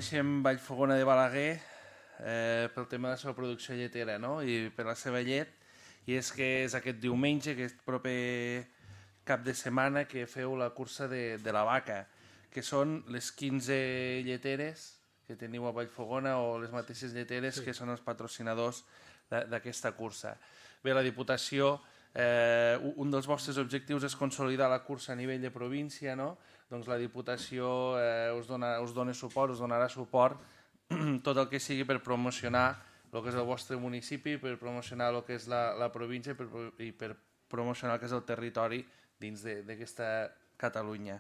Coneixem Vallfogona de Balaguer pel tema de la seva producció lletera, no? I per la seva llet, i és que és aquest diumenge, aquest proper cap de setmana, que feu la cursa de la vaca, que són les 15 lleteres que teniu a Vallfogona o les mateixes lleteres que són els patrocinadors d'aquesta cursa. Bé, la Diputació, un dels vostres objectius és consolidar la cursa a nivell de província, no? Doncs la Diputació us dona suport, us donarà suport tot el que sigui per promocionar el que és el vostre municipi, per promocionar el que és la província i per promocionar el que és el territori dins d'aquesta Catalunya.